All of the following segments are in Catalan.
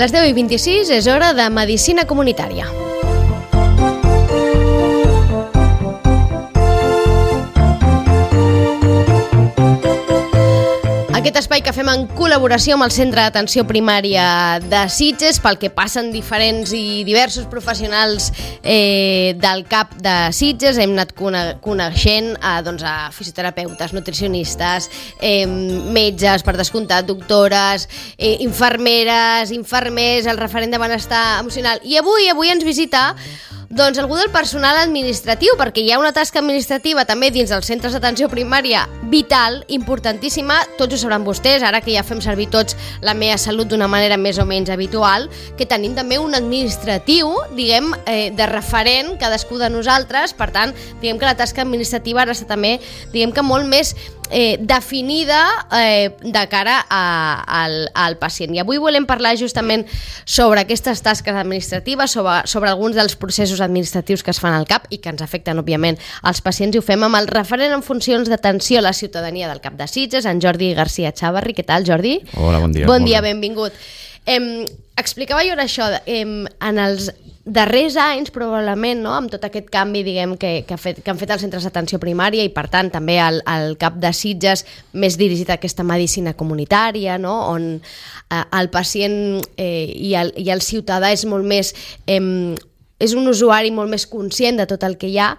Les 10:26 és hora de Medicina Comunitària. Aquest espai que fem en col·laboració amb el Centre d'Atenció Primària de Sitges, pel que passen diferents i diversos professionals del CAP de Sitges. Hem anat coneixent a fisioterapeutes, nutricionistes, metges, per descomptat, doctores, infermeres, infermers, el referent de benestar emocional. I avui ens visita algú del personal administratiu, perquè hi ha una tasca administrativa també dins dels centres d'atenció primària vital, importantíssima, tots ho sabran vostès, ara que ja fem servir tots la meva salut d'una manera més o menys habitual, que tenim també un administratiu, diguem, de referent cadascú de nosaltres. Per tant, diguem que la tasca administrativa ara està també, diguem que molt més definida de cara al pacient. I avui volem parlar justament sobre aquestes tasques administratives, sobre alguns dels processos administratius que es fan al CAP i que ens afecten, òbviament, als pacients, i ho fem amb el referent en funcions d'atenció a la ciutadania del CAP de Sitges, en Jordi García Chavarri. Què tal, Jordi? Hola, bon dia. Bon dia, benvingut. Explicava jo ara això, en els darrers anys, probablement, no? Amb tot aquest canvi, diguem, que han fet els centres d'atenció primària i, per tant, també el CAP de Sitges més dirigit a aquesta medicina comunitària, no? On el pacient i el ciutadà és molt més... és un usuari molt més conscient de tot el que hi ha.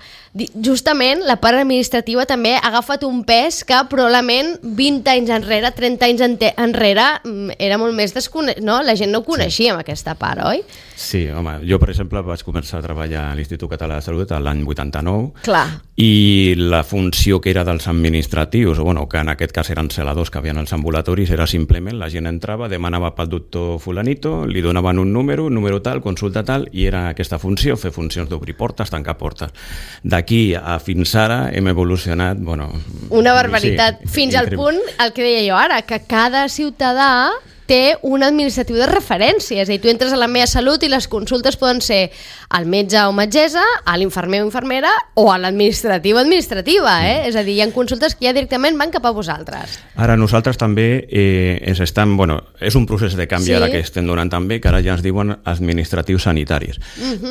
Justament la part administrativa també ha agafat un pes que probablement 20 anys enrere, 30 anys enrere era molt més desconegut, no? La gent no coneixia amb aquesta part, oi? Sí, home, jo per exemple vaig començar a treballar a l'Institut Català de Salut l'any 89. Clar. I la funció que era dels administratius, que en aquest cas eren celadors que havien als ambulatoris, era simplement la gent entrava, demanava pel doctor fulanito, li donaven un número tal, consulta tal, i era aquesta funció, fer funcions d'obrir portes, tancar portes. D'aquí a fins ara hem evolucionat, una barbaritat, sí, fins al punt, el que deia jo ara, que cada ciutadà té un administratiu de referència. És a dir, tu entres a la meva salut i les consultes poden ser al metge o metgessa, a l'infermer o infermera o a l'administrativa És a dir, hi ha consultes que ja directament van cap a vosaltres. Ara nosaltres també és un procés de canvi ara que estem donant també, que ara ja ens diuen administratius sanitaris.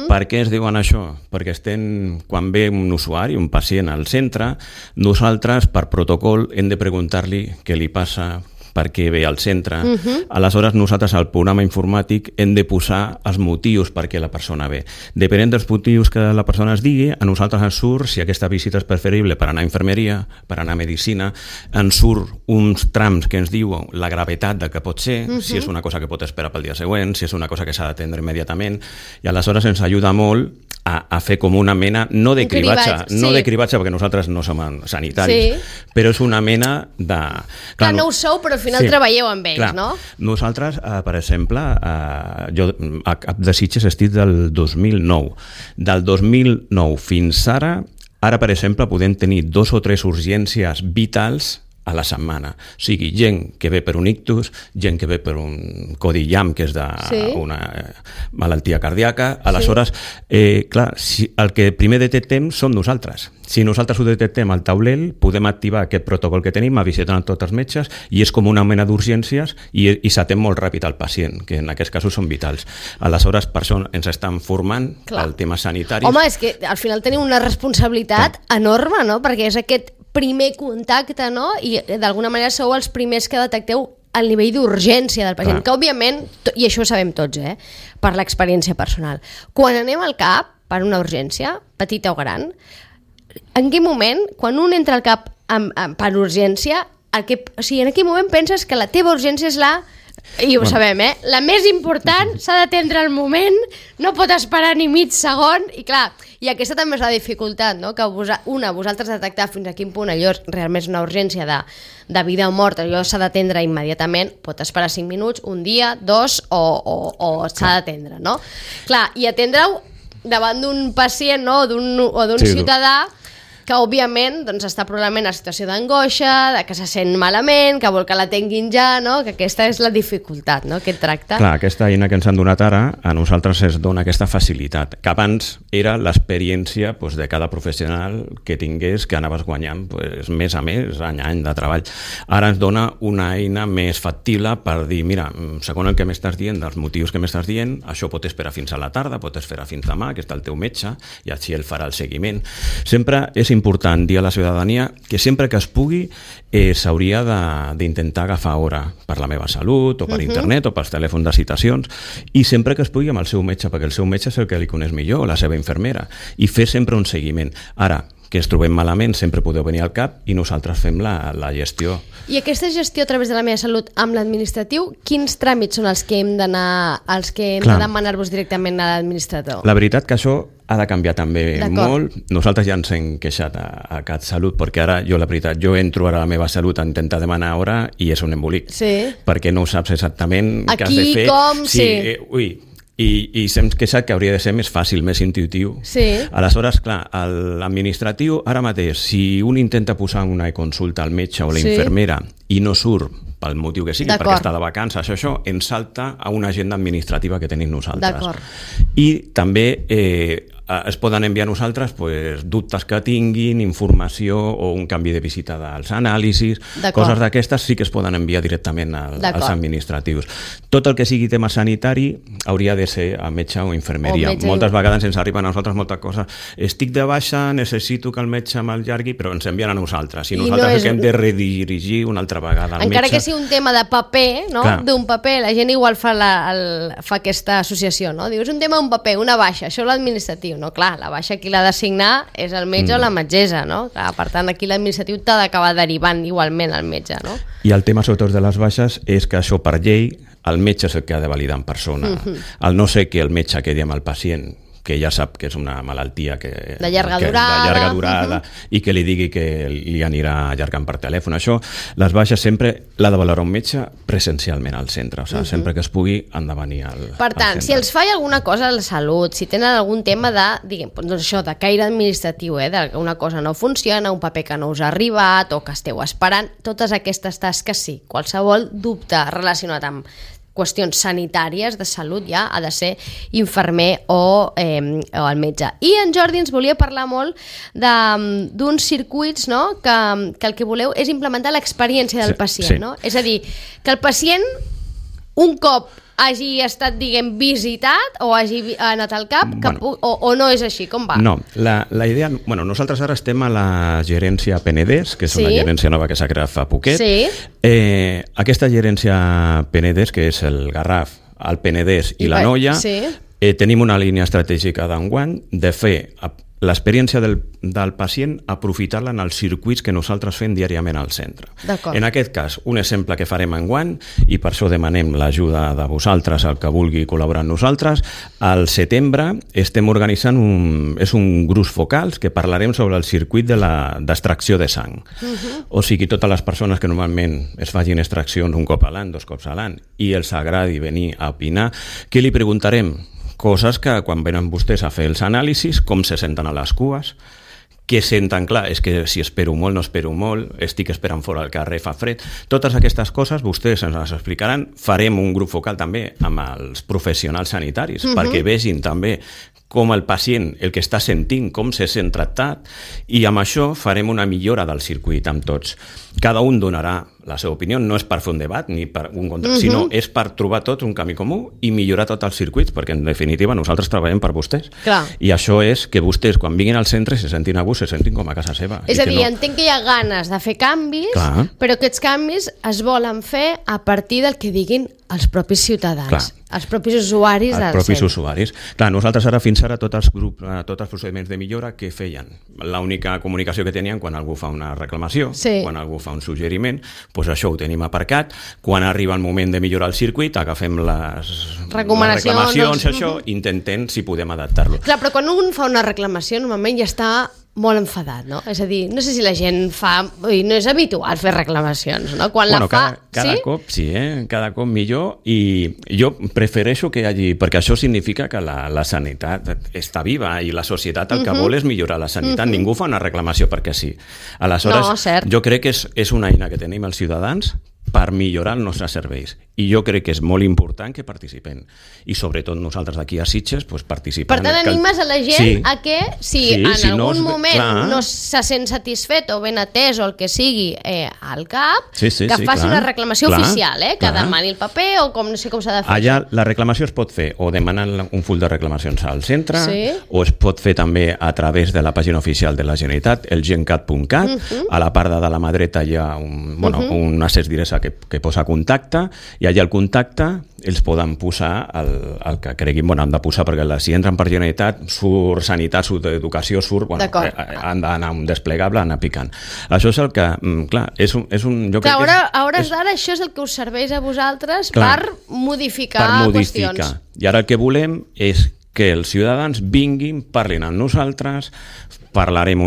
Per què es diuen això? Perquè quan ve un usuari, un pacient al centre, nosaltres per protocol hem de preguntar-li què li passa, per què ve al centre. Aleshores, nosaltres al programa informàtic hem de posar els motius per què la persona ve. Depenent dels motius que la persona es digui, a nosaltres ens surt si aquesta visita és preferible per anar a infermeria, per anar a medicina, ens surt uns trams que ens diuen la gravetat de que pot ser, si és una cosa que pot esperar pel dia següent, si és una cosa que s'ha d'atendre immediatament, i aleshores ens ajuda molt a fer com una mena, no de cribatge, de cribatge perquè nosaltres no som sanitaris, però és una mena de... Clar, no ho sou, però al final treballeu amb ells, no? Nosaltres, per exemple, jo a CAP de Sitges estic del 2009. Del 2009 fins ara, per exemple, podem tenir 2 o 3 urgències vitals a la setmana. O sigui, gent que ve per un ictus, gent que ve per un codillam, que és d'una malaltia cardíaca. Aleshores, clar, el que primer detectem som nosaltres. Si nosaltres ho detectem al taulell, podem activar aquest protocol que tenim, visitant tots els metges, i és com una mena d'urgències i s'atén molt ràpid al pacient, que en aquests casos són vitals. Aleshores, per això ens estan formant el tema sanitari. Home, és que al final tenim una responsabilitat enorme, no? Perquè és aquest primer contacte, no? I d'alguna manera sou els primers que detecteu el nivell d'urgència del pacient, que òbviament, i això ho sabem tots, per l'experiència personal. Quan anem al CAP per una urgència, petita o gran, en quin moment, quan un entra al CAP per urgència, en quin moment penses que la teva urgència és i ho sabem, la més important, s'ha d'atendre al moment, no pot esperar ni mig segon, i clar, i aquesta també és la dificultat, no? Que vosaltres detectar fins a quin punt allò realment és una urgència de vida o mort, allò s'ha d'atendre immediatament, pot esperar 5 minuts, un dia, 2, o s'ha d'atendre, no? Clar, i atendre-ho davant d'un pacient, no? O d'un ciutadà que òbviament doncs, està probablement en situació d'angoixa, de que se sent malament, que vol que l'atenguin ja, no? Que aquesta és la dificultat, no? Aquest tracte. Clar, aquesta eina que ens han donat ara, a nosaltres ens dona aquesta facilitat, que abans era l'experiència de cada professional que tingués, que anaves guanyant mes a mes, any a any de treball. Ara ens dona una eina més factible per dir, mira, segons el que m'estàs dient, dels motius que m'estàs dient, això pot esperar fins a la tarda, pot esperar fins demà, que està el teu metge, i així ell farà el seguiment. Sempre és important dir a la ciutadania que sempre que es pugui s'hauria d'intentar agafar hora per la meva salut, o per internet, o pels telèfons de citacions, i sempre que es pugui amb el seu metge, perquè el seu metge és el que li coneix millor, la seva infermera, i fer sempre un seguiment. Ara, que ens trobem malament, sempre podeu venir al CAP i nosaltres fem la gestió. I aquesta gestió a través de la meva salut amb l'administratiu, quins tràmits són els que hem d'anar, els que hem de demanar-vos directament a l'administrador? La veritat que això ha de canviar també molt. Nosaltres ja ens hem queixat a CatSalut, perquè ara jo, la veritat, jo entro ara a la meva salut a intentar demanar hora i és un embolic. Sí. Perquè no saps exactament què has de fer. Aquí, com, sí. I s'hem queixat que hauria de ser més fàcil, més intuitiu. Sí. Aleshores, clar, l'administratiu, ara mateix, si un intenta posar una consulta al metge o la infermera i no surt pel motiu que sigui, perquè està de vacances, això ens salta a una agenda administrativa que tenim nosaltres. I també es poden enviar a nosaltres dubtes que tinguin, informació o un canvi de visita dels anàlisis, coses d'aquestes sí que es poden enviar directament als administratius. Tot el que sigui tema sanitari hauria de ser a metge o infermeria. Moltes vegades ens arriben a nosaltres moltes coses. Estic de baixa, necessito que el metge m'allargui, però ens envien a nosaltres. I nosaltres hem de redirigir una altra vegada al metge. Encara que sigui un tema de paper, no? D'un paper, la gent igual fa aquesta associació, no? Diu, és un tema d'un paper, una baixa, això l'administratiu. No, clar, la baixa qui l'ha d'assignar és el metge o la metgessa, no? Clar, per tant, aquí l'administratiu t'ha d'acabar derivant igualment al metge, no? I el tema, sobretot, de les baixes és que això, per llei, el metge és el que ha de validar en persona. El no sé que el metge quedi amb el pacient, que ja sap que és una malaltia de llarga durada i que li digui que li anirà allargant per telèfon. Això, les baixes sempre l'ha de valorar un metge presencialment al centre, o sigui, sempre que es pugui han de venir al centre. Per tant, si els falla alguna cosa a la salut, si tenen algun tema de, diguem, doncs això, de caire administratiu, que una cosa no funciona, un paper que no us ha arribat o que esteu esperant, totes aquestes tasques sí, qualsevol dubte relacionat amb qüestions sanitàries de salut ja ha de ser infermer o el metge. I en Jordi ens volia parlar molt d'uns circuits, no? que el que voleu és implementar l'experiència del pacient. No? És a dir, que el pacient un cop hagi estat, diguem, visitat o hagi anat al CAP, o no és així, com va? No, la idea... nosaltres ara estem a la gerència Penedès, que és una gerència nova que s'ha creat fa poquet. Aquesta gerència Penedès, que és el Garraf, el Penedès i l'Anoia, tenim una línia estratègica d'enguany de fer l'experiència del pacient, aprofitar-la en els circuits que nosaltres fem diàriament al centre. En aquest cas, un exemple que farem enguany, i per això demanem l'ajuda de vosaltres, el que vulgui col·laborar amb nosaltres, al setembre estem organitzant un grups focals que parlarem sobre el circuit d'extracció de sang. O sigui, totes les persones que normalment es facin extraccions un cop a l'any, 2 cops a l'any, i els agradi venir a opinar, què li preguntarem? Coses que quan venen vostès a fer els anàlisis, com se senten a les cues, què senten, clar, és que si espero molt, no espero molt, estic esperant fora al carrer, fa fred. Totes aquestes coses vostès ens les explicaran. Farem un grup focal també amb els professionals sanitaris, perquè vegin també com el pacient, el que està sentint, com se sent tractat, i amb això farem una millora del circuit amb tots. Cada un donarà la seva opinió, no és per fer un debat ni per un contra, sinó és per trobar tots un camí comú i millorar tots els circuits, perquè en definitiva nosaltres treballem per vostès. I això és que vostès, quan vinguin al centre, se sentin a gust, se sentin com a casa seva. És a dir, entenc que hi ha ganes de fer canvis, però aquests canvis es volen fer a partir del que diguin els propis ciutadans, els propis usuaris del centre. Els propis usuaris. Clar, nosaltres ara, fins ara, tots els procediments de millora que feien. L'única comunicació que tenien quan algú fa una reclamació, quan algú fa un suggeriment, doncs això ho tenim aparcat. Quan arriba el moment de millorar el circuit, agafem les reclamacions, això, intentem si podem adaptar-lo. Clar, però quan un fa una reclamació, normalment ja està molt enfadat, no? És a dir, no sé si la gent fa... No és habitual fer reclamacions, no? Quan la fa... Cada cop sí, cada cop millor, i jo prefereixo que hi hagi... Perquè això significa que la sanitat està viva i la societat el que vol és millorar la sanitat. Ningú fa una reclamació perquè sí. Aleshores, jo crec que és una eina que tenim els ciutadans per millorar els nostres serveis. I jo crec que és molt important que participem. I sobretot nosaltres aquí a Sitges participem. Per tant, animes a la gent a que si en algun moment no se sent satisfet o ben atès o el que sigui al CAP, que faci una reclamació oficial, que demani el paper o no sé com s'ha de fer. Allà la reclamació es pot fer o demanant un full de reclamacions al centre o es pot fer també a través de la pàgina oficial de la Generalitat, el gencat.cat. A la part de la mà dreta hi ha un accés directe que posa contacte, i allà al contacte els poden posar el que creguin, han de posar, perquè si entren per Generalitat, surt sanitat, surt educació, han d'anar un desplegable, anar picant. Això és el que, clar, és un... A hores d'ara això és el que us serveix a vosaltres per modificar qüestions. I ara el que volem és que els ciutadans vinguin, parlin amb nosaltres, parlarem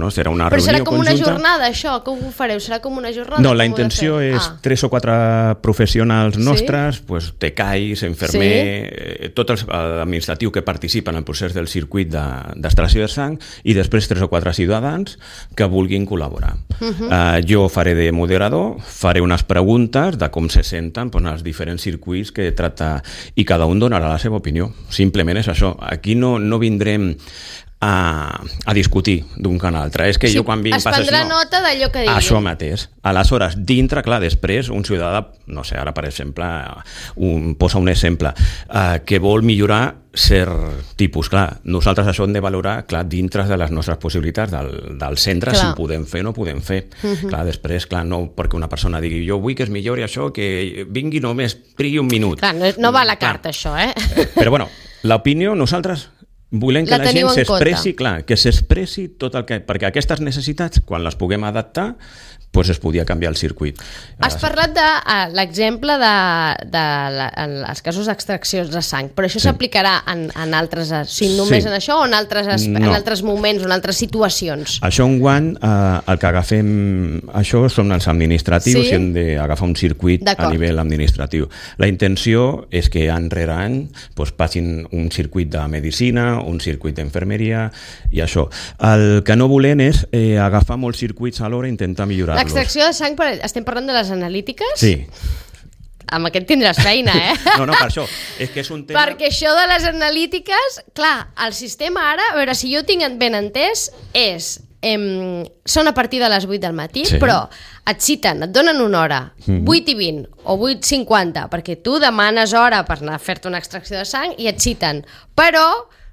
serà una reunió conjunta. Però serà com una jornada, això? Com ho fareu? Serà com una jornada? No, la intenció és 3 o 4 professionals nostres, tecais, infermer, tot l'administratiu que participa en el procés del circuit d'extracció de sang, i després 3 o 4 ciutadans que vulguin col·laborar. Jo faré de moderador, faré unes preguntes de com se senten els diferents circuits que tracta, i cada un donarà la seva opinió. Simplement és això. Aquí no vindrem a discutir d'un que a l'altre. És que jo quan vinc... Es prendrà nota d'allò que digui. Això mateix. Aleshores, dintre, clar, després, un ciutadà, no sé, ara per exemple, posa un exemple, que vol millorar cert tipus. Clar, nosaltres això hem de valorar, clar, dintre de les nostres possibilitats del centre, si ho podem fer o no podem fer. Clar, després, no perquè una persona digui jo vull que es millori això, que vingui només, trigui un minut. Clar, no va a la carta, això, Però, bueno, l'opinió, nosaltres volem que la gent s'expressi, que s'expressi tot el que... Perquè aquestes necessitats, quan les puguem adaptar, es podia canviar el circuit. Has parlat de l'exemple de els casos d'extraccions de sang, però això s'aplicarà en altres... només en això o en altres moments o en altres situacions? Això enguany, el que agafem... Això són els administratius i hem d'agafar un circuit a nivell administratiu. La intenció és que any rere any passin un circuit de medicina, un circuit d'infermeria i això. El que no volem és agafar molts circuits alhora i intentar millorar-los. L'extracció de sang, estem parlant de les analítiques? Sí. Amb aquest tindràs feina, No, per això. És que és un tema... Perquè això de les analítiques, clar, el sistema ara, a veure, si jo ho tinc ben entès, són a partir de les 8 del matí, però et citen, et donen una hora, 8:20 o 8:50, perquè tu demanes hora per anar a fer-te una extracció de sang i et citen, però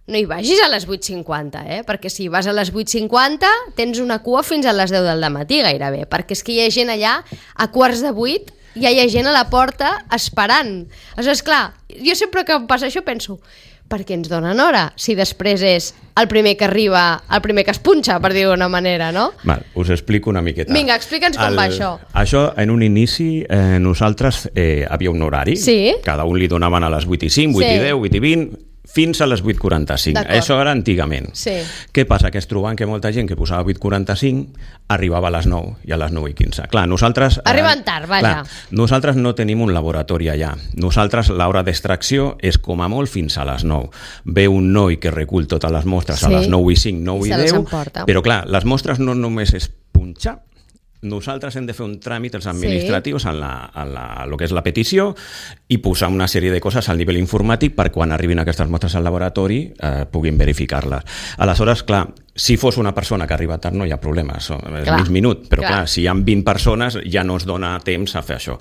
no hi vagis a les 8:50, perquè si vas a les 8:50 tens una cua fins a les 10 del matí gairebé, perquè és que hi ha gent allà a 7:15, ja hi ha gent a la porta esperant. Aleshores, clar, jo sempre que em passa això penso, per què ens donen hora? Si després és el primer que arriba, el primer que es punxa, per dir-ho d'una manera, no? Val, us explico una miqueta. Vinga, explica'ns com va això. Això, en un inici, nosaltres havia un horari. Cada un li donaven a les 8:05, 8:10, 8:20, fins a les 8:45. Això era antigament. Què passa? Que es trobaven que molta gent que posava 8:45 arribava a les 9 i a les 9:15. Clar, nosaltres... Arriben tard, vaja. Nosaltres no tenim un laboratori allà. Nosaltres l'hora d'extracció és com a molt fins a les 9. Ve un noi que recull totes les mostres a les 9:05, 9:10, però clar, les mostres no només és punxar. Nosaltres hem de fer un tràmit als administratius en el que és la petició i posar una sèrie de coses al nivell informàtic per quan arribin aquestes mostres al laboratori puguin verificar-les. Aleshores, clar, si fos una persona que arriba tard no hi ha problema, és mig minut, però clar, si hi ha 20 persones ja no es dona temps a fer això.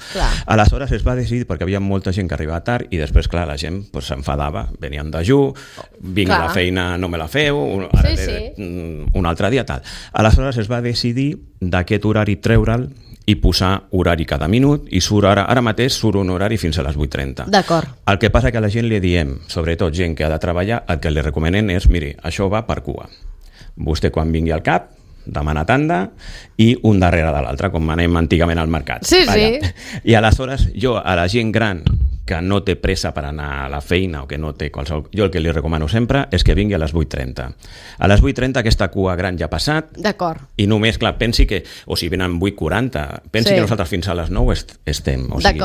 Aleshores es va decidir, perquè hi havia molta gent que arribava tard i després, clar, la gent s'enfadava, venien de dejú, vinc a la feina, no me la feu, un altre dia, tal. Aleshores es va decidir d'aquest horari treure'l i posar horari cada minut i ara mateix surt un horari fins a les 8:30. D'acord. El que passa que a la gent li diem, sobretot gent que ha de treballar, el que li recomanem és, miri, això va per cua. Vostè quan vingui al CAP demana tanda i un darrere de l'altre, com anem antigament al mercat. I aleshores jo a la gent gran que no té pressa per anar a la feina o que no té qualsevol... Jo el que li recomano sempre és que vingui a les 8:30. A les 8:30 aquesta cua gran ja ha passat. D'acord. I només, clar, pensi que... O si venen 8:40, pensi que nosaltres fins a les 9 estem. O sigui,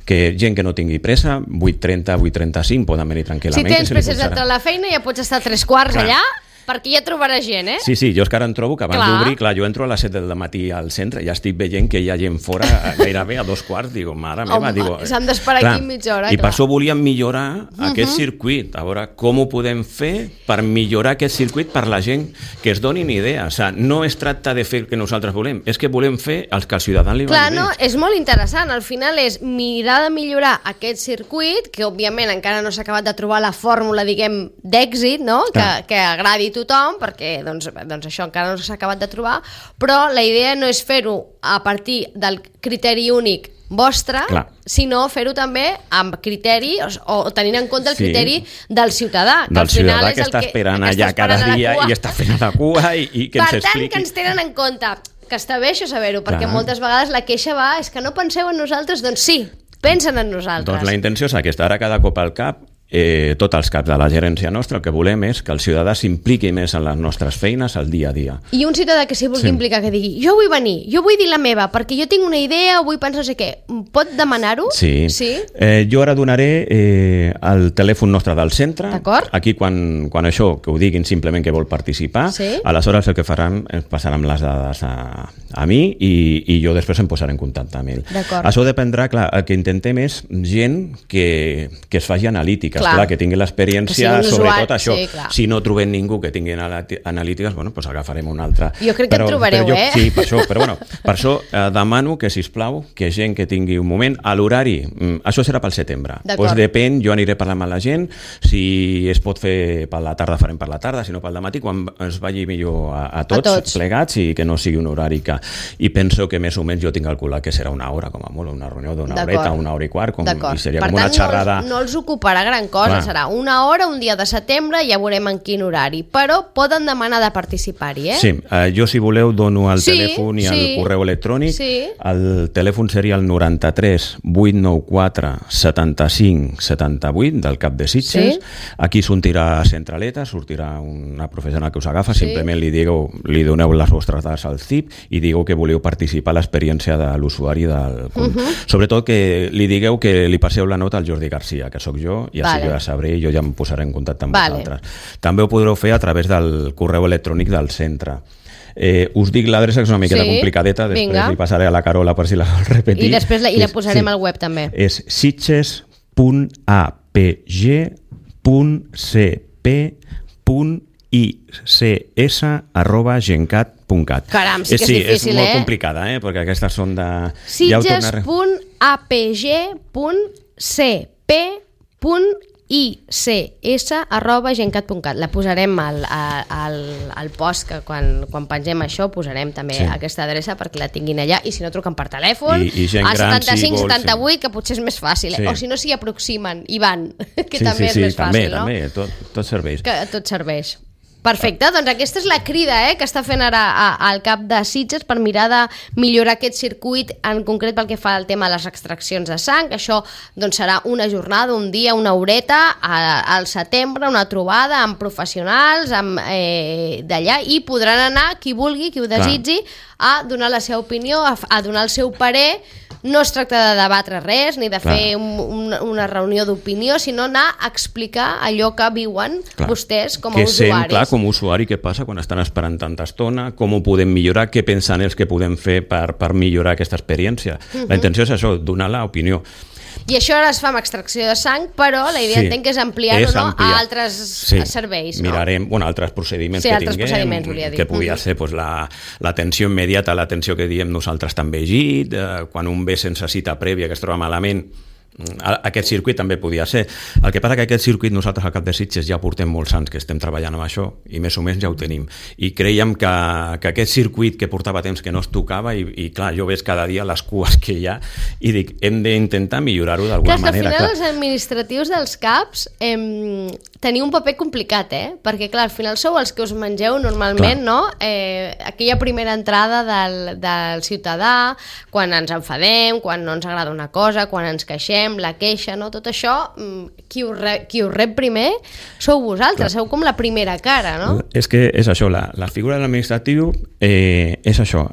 que gent que no tingui pressa, 8:30, 8:35, poden venir tranquil·lament. Si tens pressa d'entrar a la feina ja pots estar 3/4 allà, perquè ja trobaràs gent, eh? Sí, jo és que ara em trobo que abans d'obrir, clar, jo entro a les 7 del matí al centre, ja estic veient que hi ha gent fora gairebé a 2/4, digo, mare meva, digo... S'han d'esperar aquí mitja hora, I per això volíem millorar aquest circuit, a veure com ho podem fer per millorar aquest circuit per la gent que es donin idea, o sigui, no es tracta de fer el que nosaltres volem, és que volem fer els que al ciutadà li vagi bé. Clar, no, és molt interessant, al final és mirar de millorar aquest circuit, que òbviament encara no s'ha acabat de trobar la fórmula, diguem, d'èxit, no? Que agradi tothom, perquè doncs això encara no s'ha acabat de trobar, però la idea no és fer-ho a partir del criteri únic vostre, sinó fer-ho també amb criteri o tenint en compte el criteri del ciutadà. Del ciutadà que està esperant allà cada dia i està fent la cua i que ens expliqui. Per tant, que ens tenen en compte, que està bé això saber-ho, perquè moltes vegades la queixa és que no penseu en nosaltres, doncs sí, pensen en nosaltres. Doncs la intenció és aquesta, ara cada cop al cap tots els caps de la gerència nostra el que volem és que el ciutadà s'impliqui més en les nostres feines al dia a dia. I un ciutadà que s'hi vulgui implicar, que digui jo vull venir, jo vull dir la meva, perquè jo tinc una idea o vull pensar no sé què, pot demanar-ho? Sí. Jo ara donaré el telèfon nostre del centre. Aquí quan això, que ho diguin simplement que vol participar, aleshores el que faran és passaran les dades a mi i jo després em posaré en contacte amb ell. Això dependrà, clar, el que intentem és gent que es faci analítica. Clar, que tingui l'experiència, sobretot això. Si no trobem ningú que tingui analítiques, bueno, doncs agafarem un altre. Jo crec que en trobareu, eh? Sí, per això, però bueno, per això demano que, sisplau, que gent que tingui un moment, a l'horari, això serà pel setembre. Doncs depèn, jo aniré parlant amb la gent, si es pot fer per la tarda, farem per la tarda, si no pel dematí, quan es vagi millor a tots plegats i que no sigui un horari que... I penso que més o menys jo tinc calculat que serà una hora, com a molt, una reunió d'una horeta, una hora i quart, i seria com una xerrada... No els ocuparà gran cosa, serà una hora, un dia de setembre, ja veurem en quin horari, però poden demanar de participar-hi, eh? Sí, jo si voleu dono el telèfon i el correu electrònic. El telèfon seria el 93 894 75 78 del Cap de Sitges. Aquí sortirà centraleta, sortirà una professional que us agafa, simplement li doneu les vostres dades al CIP i digueu que voleu participar a l'experiència de l'usuari del... Sobretot que li digueu que li passeu la nota al Jordi Garcia, que sóc jo, i així jo ja sabré i jo ja em posaré en contacte amb vosaltres. També ho podreu fer a través del correu electrònic del centre. Us dic l'adreça, que és una miqueta complicadeta, després li passaré a la Carola per si la vol repetir. I després la posarem al web també. És sitges.apg.ics@gencat.cat. Caram, sí que és difícil, és molt complicada, perquè aquestes són de... sitges.apg.ics@gencat.cat. La posarem al post, que quan pengem això posarem també aquesta adreça perquè la tinguin allà, i si no truquen per telèfon al 75-78, que potser és més fàcil, o si no s'hi aproximen i van, que també és més fàcil, no? També, tot serveix. Tot serveix. Perfecte, doncs aquesta és la crida que està fent ara al Cap de Sitges per mirar de millorar aquest circuit, en concret pel que fa al tema de les extraccions de sang. Això doncs serà una jornada, un dia, una horeta al setembre, una trobada amb professionals d'allà, i podran anar qui vulgui, qui ho desitgi, a donar la seva opinió, a donar el seu parer. No es tracta de debatre res, ni de fer una reunió d'opinió, sinó anar a explicar allò que viuen vostès com a usuaris. Clar, com a usuari, què passa quan estan esperant tanta estona, com ho podem millorar, què pensen ells que podem fer per millorar aquesta experiència. La intenció és això, donar l'opinió. I això ara es fa amb extracció de sang, però la idea entenc que és ampliar-ho a altres serveis. Mirarem altres procediments que tinguem, que podia ser l'atenció immediata, l'atenció que diem nosaltres també llegit, quan un ve sense cita prèvia, que es troba malament, aquest circuit també podia ser. El que passa que aquest circuit nosaltres al Cap de Sitges ja portem molts anys que estem treballant amb això i més o menys ja ho tenim, i creiem que aquest circuit que portava temps que no es tocava, i clar, jo veig cada dia les cues que hi ha i dic, hem d'intentar millorar-ho d'alguna manera. Al final els administratius dels CAPs teniu un paper complicat, perquè clar, al final sou els que us mengeu normalment, no? Aquella primera entrada del ciutadà, quan ens enfadem, quan no ens agrada una cosa, quan ens queixem, rebrem, la queixa, no? Tot això, qui ho rep primer sou vosaltres, sou com la primera cara, no? És que és això, la figura de l'administratiu és això,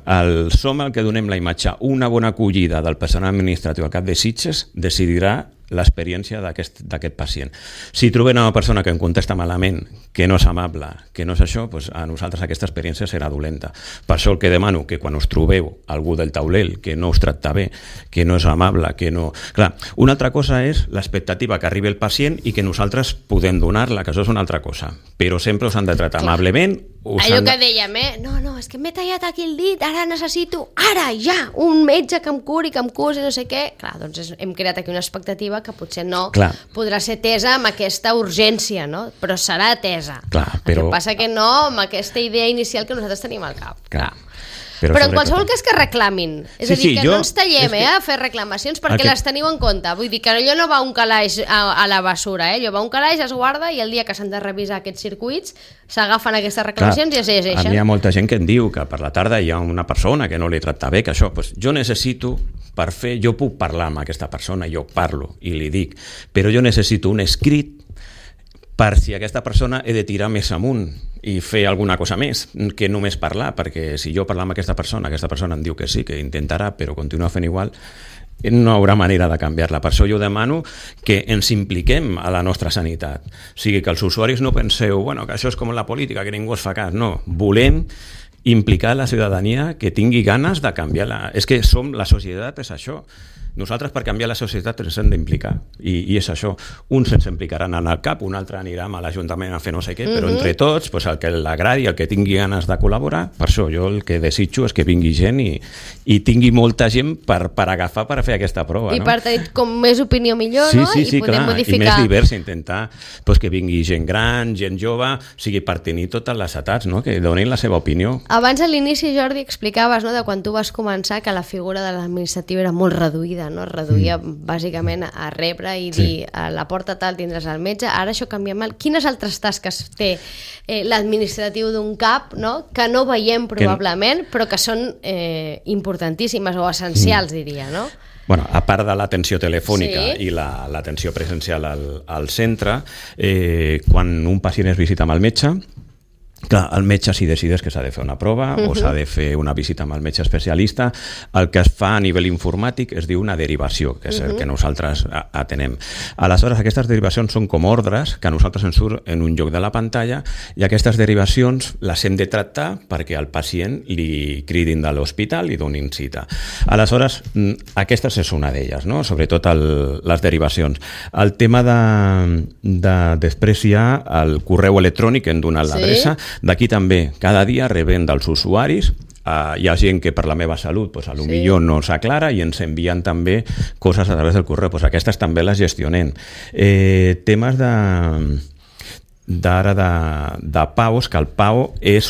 som el que donem la imatge, una bona acollida del personal administratiu al cap de Sitges decidirà l'experiència d'aquest pacient. Si trobem una persona que em contesta malament, que no és amable, que no és això, doncs a nosaltres aquesta experiència serà dolenta. Per això el que demano, que quan us trobeu algú del taulell que no us tracta bé, que no és amable, que no... Clar, una altra cosa és l'expectativa que arribi el pacient i que nosaltres podem donar-la, que això és una altra cosa. Però sempre us han de tractar amablement. Allò que dèiem, no, és que m'he tallat aquí el dit, ara necessito, ja, un metge que em curi, que em cusi, no sé què. Clar, doncs hem creat aquí una expectativa que potser no podrà ser atesa amb aquesta urgència, no? Però serà atesa. Clar, però... El que passa que no amb aquesta idea inicial que nosaltres tenim al cap. Clar. Però en qualsevol cas que reclamin. És a dir, que no ens tallem a fer reclamacions perquè les teniu en compte. Vull dir que allò no va un calaix a la basura, allò va un calaix, es guarda i el dia que s'han de revisar aquests circuits s'agafen aquestes reclamacions i es llegeixen. A mi hi ha molta gent que em diu que per la tarda hi ha una persona que no li tracta bé, que això, jo necessito per fer, jo puc parlar amb aquesta persona, jo parlo i li dic, però jo necessito un escrit per si aquesta persona he de tirar més amunt i fer alguna cosa més que només parlar, perquè si jo parlar amb aquesta persona em diu que sí, que intentarà, però continua fent igual, no hi haurà manera de canviar-la. Per això jo demano que ens impliquem a la nostra sanitat. O sigui, que els usuaris no penseu que això és com la política, que ningú es fa cas. No, volem implicar la ciutadania que tingui ganes de canviar-la. És que la societat és això. Nosaltres per canviar la societat ens hem d'implicar i és això, uns ens implicaran en el CAP, un altre anirà a l'Ajuntament a fer no sé què, però entre tots, el que l'agradi, el que tingui ganes de col·laborar, per això jo el que desitjo és que vingui gent i tingui molta gent per agafar per fer aquesta prova. I per tenir com més opinió millor, no? Sí, podem modificar. I més divers, intentar que vingui gent gran, gent jove, per tenir totes les edats, que donin la seva opinió. Abans a l'inici, Jordi, explicaves de quan tu vas començar que la figura de l'administratiu era molt reduïda, no? Reduïa bàsicament a rebre i dir a la porta tal tindràs el metge, ara això canvia molt. Quines altres tasques té l'administratiu d'un CAP, no? Que no veiem probablement, però que són importantíssimes o essencials, diria, no? A part de l'atenció telefònica i l'atenció presencial al centre, quan un pacient es visita amb el metge, clar, el metge si decideix que s'ha de fer una prova o s'ha de fer una visita amb el metge especialista, el que es fa a nivell informàtic es diu una derivació, que és el que nosaltres atenem. Aleshores, aquestes derivacions són com ordres que a nosaltres ens surt en un lloc de la pantalla i aquestes derivacions les hem de tractar perquè al pacient li cridin de l'hospital i donin cita. Aleshores, aquestes és una d'elles, no? Sobretot les derivacions. El tema després hi ha el correu electrònic que hem donat l'adreça. D'aquí també, cada dia rebem dels usuaris, hi ha gent que per la meva salut potser no s'aclara i ens envien també coses a través del correu, aquestes també les gestionem. Temes de PAOs, que el PAO és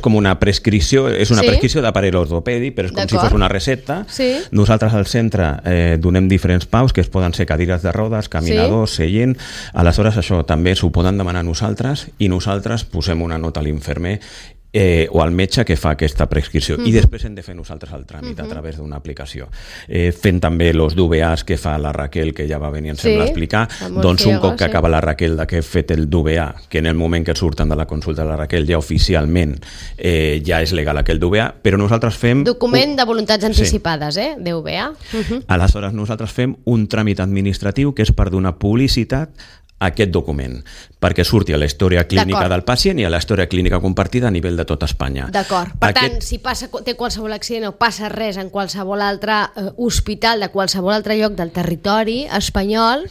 com una prescripció, prescripció d'aparell ortopèdic, però és com si fos una recepta. Nosaltres al centre donem diferents PAOs, que poden ser cadires de rodes, caminadors, seient. Aleshores això també s'ho poden demanar a nosaltres i nosaltres posem una nota a l'infermer o al metge que fa aquesta prescripció i després hem de fer nosaltres el tràmit a través d'una aplicació. Fent també els DVAs que fa la Raquel, que ja va venir, em sembla, a explicar, doncs un cop que acaba la Raquel que ha fet el DVA, que en el moment que surten de la consulta de la Raquel ja oficialment ja és legal aquell DVA, però nosaltres fem... Document de voluntats anticipades, DVA. Aleshores nosaltres fem un tràmit administratiu que és per donar publicitat aquest document, perquè surti a la història clínica del pacient i a la història clínica compartida a nivell de tot Espanya. D'acord. Per tant, si té qualsevol accident o passa res en qualsevol altre hospital de qualsevol altre lloc del territori espanyol,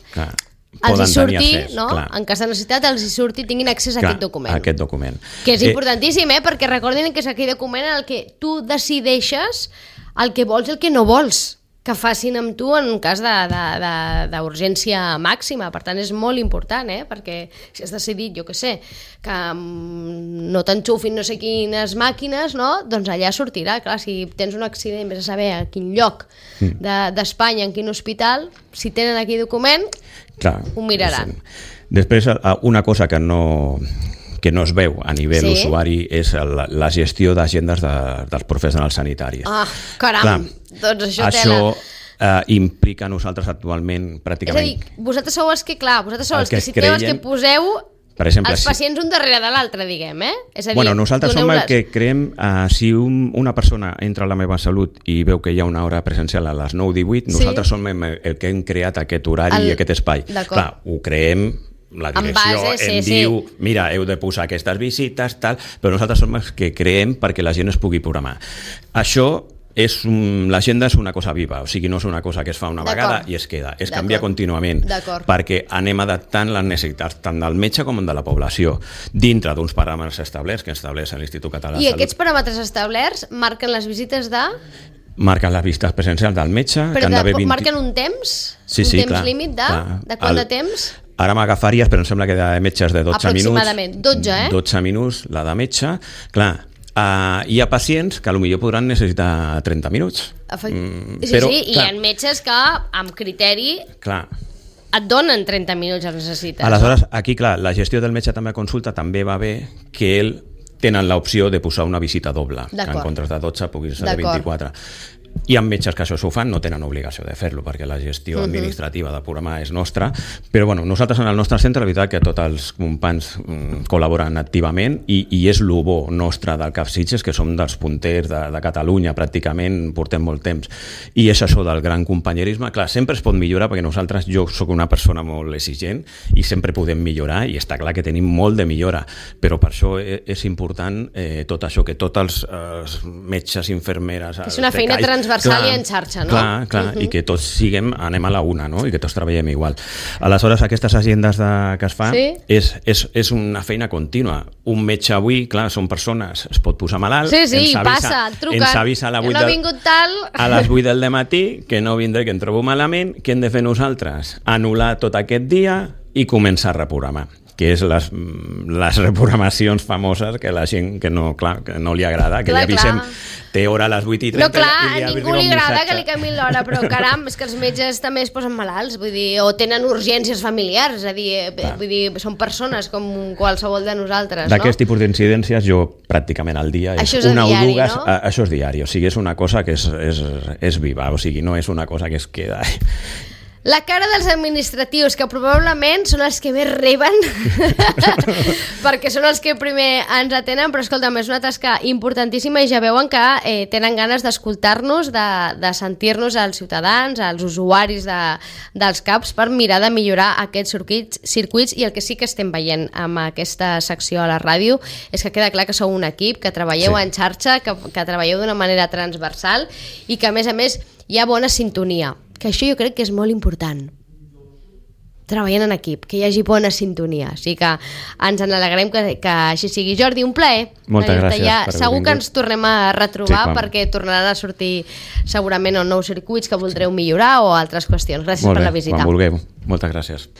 els hi surti, en cas de necessitat, els hi surti, tinguin accés a aquest document. Que és importantíssim, perquè recordin que és aquell document en el que tu decideixes el que vols i el que no vols que facin amb tu en un cas d'urgència màxima. Per tant, és molt important, perquè si has decidit, jo què sé, que no t'enxufin no sé quines màquines, doncs allà sortirà. Clar, si tens un accident, vés a saber a quin lloc d'Espanya, en quin hospital, si tenen aquí document, ho miraran. Després, una cosa que no es veu a nivell usuari és la gestió d'agendes dels professionals sanitaris. Caram, doncs això tela. implica a nosaltres actualment pràcticament... És a dir, vosaltres sou els que, citeu, els que poseu per exemple, els pacients un darrere de l'altre, diguem, És a dir, nosaltres som el que creem, si una persona entra a la meva salut i veu que hi ha una hora presencial a les 9:18, nosaltres som el que hem creat aquest horari i aquest espai. Clar, ho creem, la direcció diu, mira, heu de posar aquestes visites, tal, però nosaltres som els que creem perquè la gent es pugui programar. Això l'agenda és una cosa viva, o sigui, no és una cosa que es fa una vegada i es queda, es canvia contínuament, perquè anem adaptant les necessitats tant del metge com de la població, dintre d'uns paràmetres establerts que estableix l'Institut Català de Salut. I aquests paràmetres establerts marquen les visites de... Marquen les visites presencials del metge... Però marquen un temps? Un temps límit de quant de temps? Ara m'agafaries, però em sembla que de metges de 12 minuts... Aproximadament, 12, 12 minuts, la de metge, clar... hi ha pacients que potser podran necessitar 30 minuts. Però, i hi ha metges que, amb criteri, et donen 30 minuts els necessites. Aleshores, aquí, clar, la gestió del metge també a consulta també va bé que ell tenen l'opció de posar una visita doble, que en comptes de 12 pugui ser de 24. Hi ha metges que això s'ho fan, no tenen obligació de fer-lo perquè la gestió administrativa de programar és nostra, però nosaltres en el nostre centre, la veritat que tots els companys col·laboren activament i és el bo nostre del CAP Sitges, que som dels punters de Catalunya, pràcticament portem molt temps, i és això del gran companyerisme. Clar, sempre es pot millorar perquè jo sóc una persona molt exigent i sempre podem millorar i està clar que tenim molt de millora, però per això és important tot això, que tots els metges, infermeres... És una feina transversal i en xarxa, no? Clar, i que tots anem a la una, no? I que tots treballem igual. Aleshores, aquestes agendes que es fan és una feina contínua. Un metge avui, clar, són persones, es pot posar malalt, ens avisa a les 8 del matí que no vindré, que em trobo malament, què hem de fer nosaltres? Anul·lar tot aquest dia i començar a reprogramar, que és les reprogramacions famoses que la gent que no li agrada, que li avisem té hora a les 8:30. No, clar, a ningú li agrada que li canviïn l'hora, però caram, és que els metges també es posen malalts, vull dir, o tenen urgències familiars, és a dir, són persones com qualsevol de nosaltres, no? D'aquest tipus d'incidències jo pràcticament al dia una o dues, això és diari, o sigui, és una cosa que és viva, o sigui, no és una cosa que es queda... La cara dels administratius, que probablement són els que més reben perquè són els que primer ens atenen, però escolta'm, és una tasca importantíssima i ja veuen que tenen ganes d'escoltar-nos, de sentir-nos als ciutadans, als usuaris dels CAPs, per mirar de millorar aquests circuits. I el que sí que estem veient amb aquesta secció a la ràdio és que queda clar que sou un equip, que treballeu en xarxa, que treballeu d'una manera transversal i que a més hi ha bona sintonia, que això jo crec que és molt important, treballant en equip, que hi hagi bona sintonia, o sigui que ens n'alegrem que així sigui. Jordi, un plaer. Moltes gràcies. Segur que ens tornem a retrobar perquè tornaran a sortir segurament nous circuits que voldreu millorar o altres qüestions. Gràcies per la visita. Quan vulgueu. Moltes gràcies.